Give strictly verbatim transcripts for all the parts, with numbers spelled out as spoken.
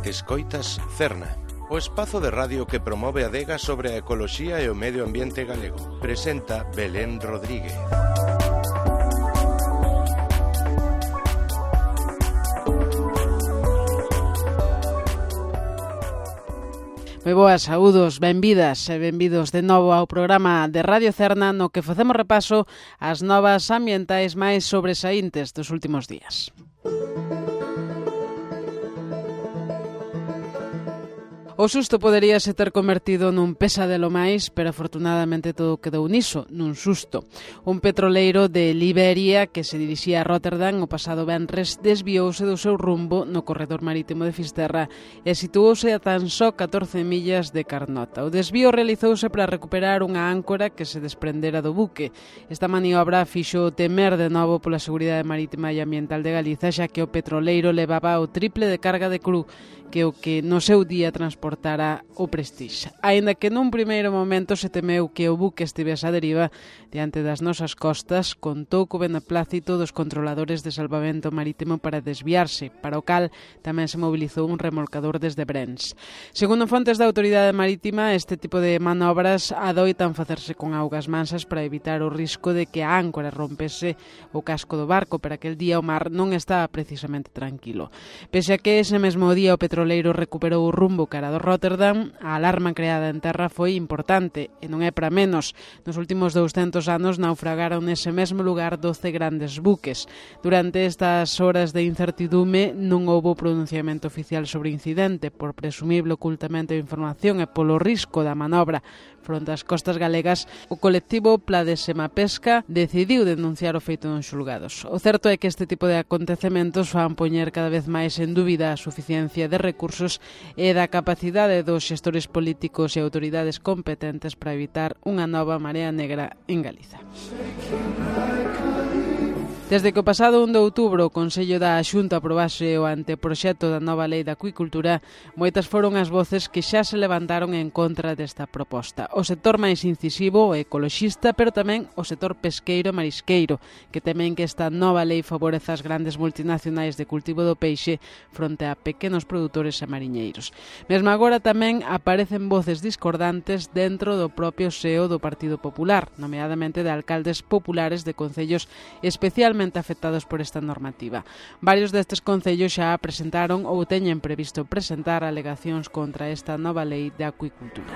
Escoitas Cerna, o espazo de radio que promove a adega sobre a ecoloxía e o medio ambiente galego. Presenta Belén Rodríguez. Moi boas, saúdos, benvidas e benvidos de novo ao programa de Radio Cerna no que facemos repaso ás novas ambientais máis sobresaíntes dos últimos días. O susto poderíase ter convertido nun pesadelo máis, pero afortunadamente todo quedou niso, nun susto. Un petroleiro de Liberia que se dirixía a Rotterdam o pasado venres desviouse do seu rumbo no corredor marítimo de Fisterra e situouse a tan só catorce millas de Carnota. O desvío realizouse para recuperar unha áncora que se desprendera do buque. Esta maniobra fixo temer de novo pola seguridade marítima e ambiental de Galiza, xa que o petroleiro levaba o triple de carga de cru que o que no seu día transportara o Prestige. Aínda que nun primeiro momento se temeu que o buque estivese a deriva diante das nosas costas, contou co beneplácito dos controladores de salvamento marítimo para desviarse, para o cal tamén se mobilizou un remolcador desde Brens. Segundo fontes da autoridade marítima, este tipo de manobras adoitan facerse con augas mansas para evitar o risco de que a áncora rompese o casco do barco, pero aquel día o mar non estaba precisamente tranquilo. Pese a que ese mesmo día o petróleo O petroleiro recuperou o rumbo cara do Rotterdam, a alarma creada en terra foi importante, e non é para menos. Nos últimos douscentos anos naufragaron nese mesmo lugar doce grandes buques. Durante estas horas de incertidume non houbo pronunciamento oficial sobre o incidente, por presumible ocultamento de información e polo risco da manobra fronte ás costas galegas. O colectivo Pladesema Pesca decidiu denunciar o feito nos xulgados. O certo é que este tipo de acontecementos fan poñer cada vez máis en dúbida a suficiencia de recursos e da capacidade dos xestores políticos e autoridades competentes para evitar unha nova marea negra en Galiza. Desde que o pasado un de outubro o Consello da Xunta aprobase o anteproxecto da nova Lei da Acuicultura, moitas foron as voces que xa se levantaron en contra desta proposta. O sector máis incisivo, o ecoloxista, pero tamén o sector pesqueiro e marisqueiro, que temen que esta nova lei favoreza as grandes multinacionais de cultivo do peixe fronte a pequenos produtores e mariñeiros. Mesmo agora tamén aparecen voces discordantes dentro do propio S E O do Partido Popular, nomeadamente de alcaldes populares de concellos especialmente afectados por esta normativa. Varios destes concellos xa presentaron ou teñen previsto presentar alegacións contra esta nova lei de acuicultura.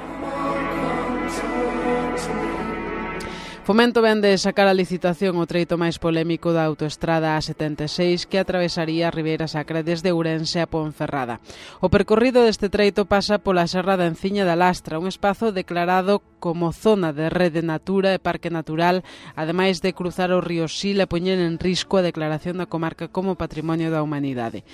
Fomento vende sacar a licitación o treito máis polémico da autoestrada A setenta e seis que atravesaría a Ribeira Sacra desde Ourense a Ponferrada. O percorrido deste treito pasa pola Serra da Enciña da Lastra, un espazo declarado como zona de rede natura e parque natural, ademais de cruzar o río Sil e poñer en risco a declaración da comarca como Patrimonio da Humanidade.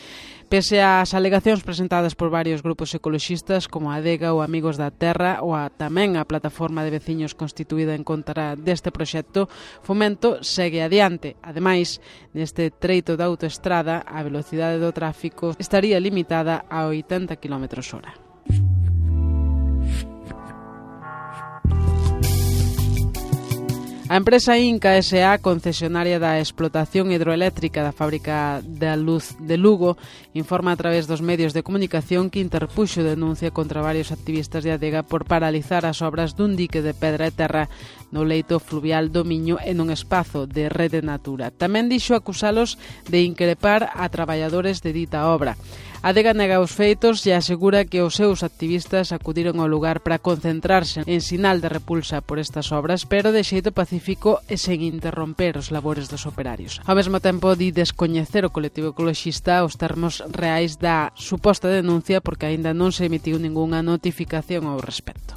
Pese ás alegacións presentadas por varios grupos ecoloxistas como a Adega ou Amigos da Terra ou a, tamén a plataforma de veciños constituída en contra deste proxecto, Fomento segue adiante. Ademais, neste treito da autoestrada, a velocidade do tráfico estaría limitada a oitenta quilómetros hora. A empresa Inca S A, concesionaria da explotación hidroeléctrica da fábrica da luz de Lugo, informa a través dos medios de comunicación que interpuxo denuncia contra varios activistas de Adega por paralizar as obras dun dique de pedra e terra no leito fluvial do Miño e nun espazo de rede natura. Tamén dixo acusalos de increpar a traballadores de dita obra. A Adega nega os feitos e asegura que os seus activistas acudiron ao lugar para concentrarse en sinal de repulsa por estas obras, pero de xeito pacífico e sen interromper os labores dos operarios. Ao mesmo tempo, di descoñecer o colectivo ecoloxista os termos reais da suposta denuncia porque aínda non se emitiu ningunha notificación ao respecto.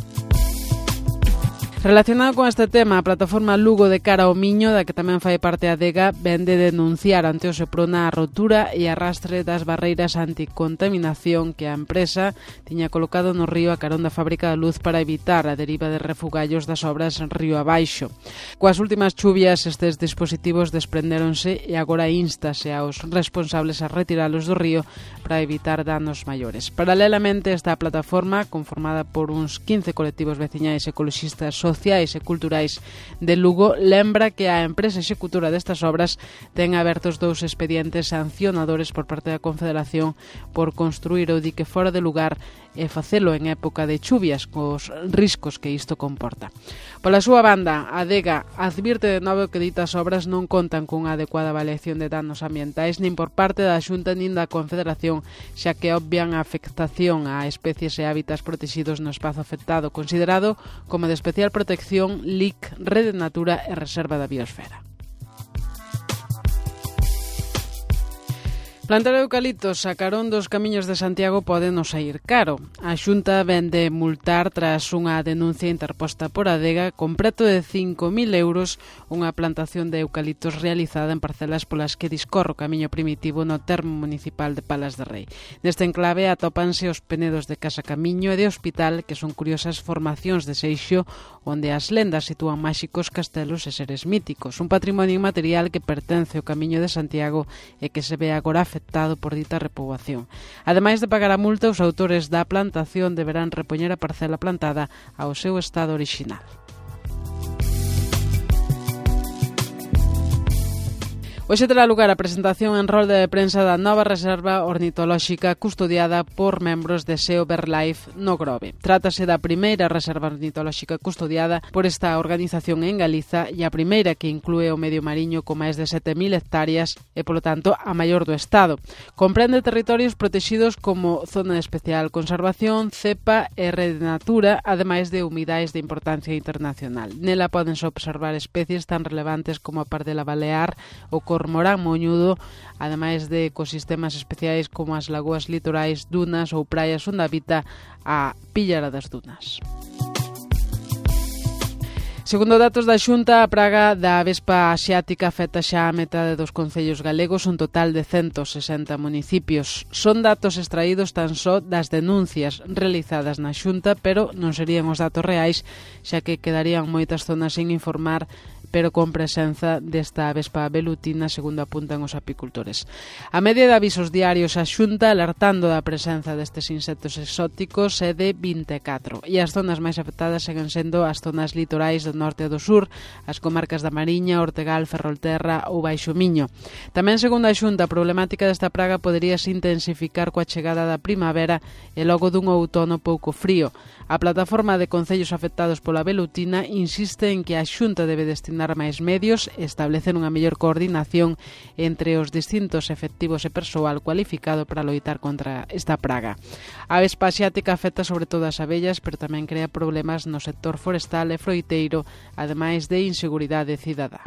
Relacionado con este tema, a plataforma Lugo de Cara ao Miño, da que tamén fai parte a Adega, vende denunciar ante o Seprona a rotura e arrastre das barreiras anticontaminación que a empresa tiña colocado no río a carón da fábrica da luz para evitar a deriva de refugallos das obras río abaixo. Coas últimas chuvias, estes dispositivos desprendéronse e agora instase aos responsables a retiralos do río para evitar danos maiores. Paralelamente, esta plataforma, conformada por uns quince colectivos veciñais ecoloxistas sociais e culturais de Lugo lembra que a empresa executora destas obras ten abertos dous expedientes sancionadores por parte da Confederación por construir o dique fora de lugar e facelo en época de chuvias, cos riscos que isto comporta. Pola súa banda, a Adega advirte de novo que ditas obras non contan cunha adecuada avaliación de danos ambientais nin por parte da Xunta nin da Confederación, xa que obvian a afectación a especies e hábitats protegidos no espazo afectado, considerado como de especial protección, L I C, Rede Natura e Reserva da Biosfera. Plantar eucaliptos a carón dos camiños de Santiago pode non saír caro. A Xunta vende multar tras unha denuncia interposta por Adega con preto de cinco mil euros unha plantación de eucaliptos realizada en parcelas polas que discorre o camiño primitivo no termo municipal de Palas de Rei. Neste enclave atópanse os penedos de Casa Camiño e de Hospital, que son curiosas formacións de Seixo onde as lendas sitúan máxicos castelos e seres míticos, un patrimonio inmaterial que pertence ao Camiño de Santiago e que se ve agora afectado por dita repoboación. Ademais de pagar a multa, os autores da plantación deberán repoñer a parcela plantada ao seu estado orixinal. Hoxe terá lugar a presentación en rolda de prensa da nova reserva ornitolóxica custodiada por membros de S E O BirdLife no Grove. Trátase da primeira reserva ornitolóxica custodiada por esta organización en Galiza e a primeira que inclúe o medio mariño con máis de sete mil hectáreas e, polo tanto, a maior do Estado. Comprende territorios protegidos como Zona de Especial Conservación, CEPA e Rede Natura, ademais de humidais de importancia internacional. Nela pódense observar especies tan relevantes como a pardela balear, o cormorán moñudo, ademais de ecosistemas especiais como as lagoas litorais, dunas ou praias onde habita a píllara das dunas. Segundo datos da Xunta, a praga da avespa asiática afecta xa a metade dos concellos galegos, un total de ciento sesenta municipios. Son datos extraídos tan só das denuncias realizadas na Xunta, pero non serían os datos reais, xa que quedarían moitas zonas sin informar, pero con presenza desta avespa velutina, segundo apuntan os apicultores. A media de avisos diarios a Xunta alertando da presenza destes insectos exóticos é de vinte e catro, e as zonas máis afectadas seguen sendo as zonas litorais do norte e do sur, as comarcas da Mariña, Ortegal, Ferrolterra ou Baixo Miño. Tamén, segundo a Xunta, a problemática desta praga poderíase intensificar coa chegada da primavera e logo dun outono pouco frío. A plataforma de concellos afectados pola velutina insiste en que a Xunta debe destinar máis medios e establecer unha mellor coordinación entre os distintos efectivos e persoal cualificado para loitar contra esta praga. A avespa asiática afecta sobre todo as abellas, pero tamén crea problemas no sector forestal e froiteiro, ademais de inseguridade cidadá.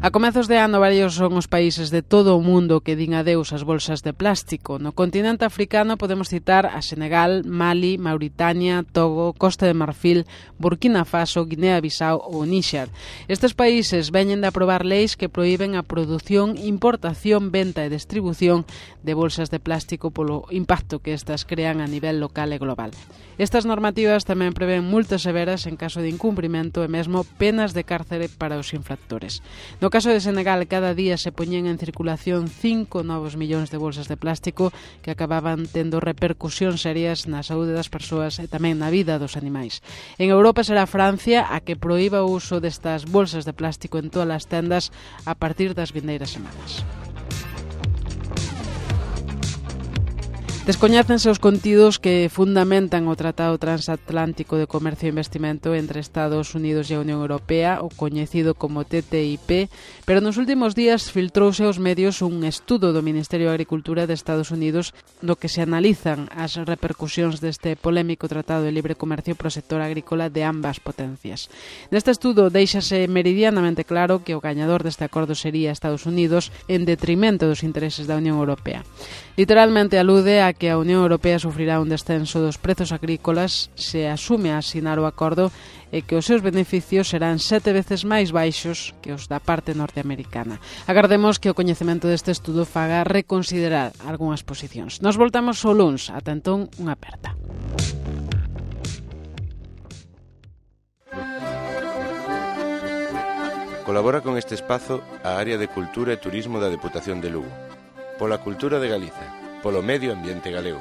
A comezos de ano, varios son os países de todo o mundo que din adeus ás bolsas de plástico. No continente africano podemos citar a Senegal, Mali, Mauritania, Togo, Costa de Marfil, Burkina Faso, Guinea-Bissau ou Níxer. Estes países veñen de aprobar leis que prohíben a produción, importación, venta e distribución de bolsas de plástico polo impacto que estas crean a nivel local e global. Estas normativas tamén prevén multas severas en caso de incumprimento e mesmo penas de cárcere para os infractores. No caso de Senegal, cada día se poñen en circulación cinco novos millóns de bolsas de plástico que acababan tendo repercusións serias na saúde das persoas e tamén na vida dos animais. En Europa será Francia a que proíba o uso destas bolsas de plástico en todas as tendas a partir das vindeiras semanas. Descoñécense os contidos que fundamentan o Tratado Transatlántico de Comercio e Investimento entre Estados Unidos e a Unión Europea, o coñecido como T T I P, pero nos últimos días filtrouse aos medios un estudo do Ministerio de Agricultura de Estados Unidos no que se analizan as repercusións deste polémico Tratado de Libre Comercio pro sector agrícola de ambas potencias. Neste estudo deixase meridianamente claro que o gañador deste acordo sería Estados Unidos en detrimento dos intereses da Unión Europea. Literalmente alude a que a Unión Europea sufrirá un descenso dos prezos agrícolas se asume a asinar o acordo e que os seus beneficios serán sete veces máis baixos que os da parte norteamericana. Agardemos que o coñecemento deste estudo faga reconsiderar algunhas posicións. Nos voltamos o luns. Ata entón, unha aperta. Colabora con este espazo a Área de Cultura e Turismo da Deputación de Lugo. Pola cultura de Galiza, polo medio ambiente galego.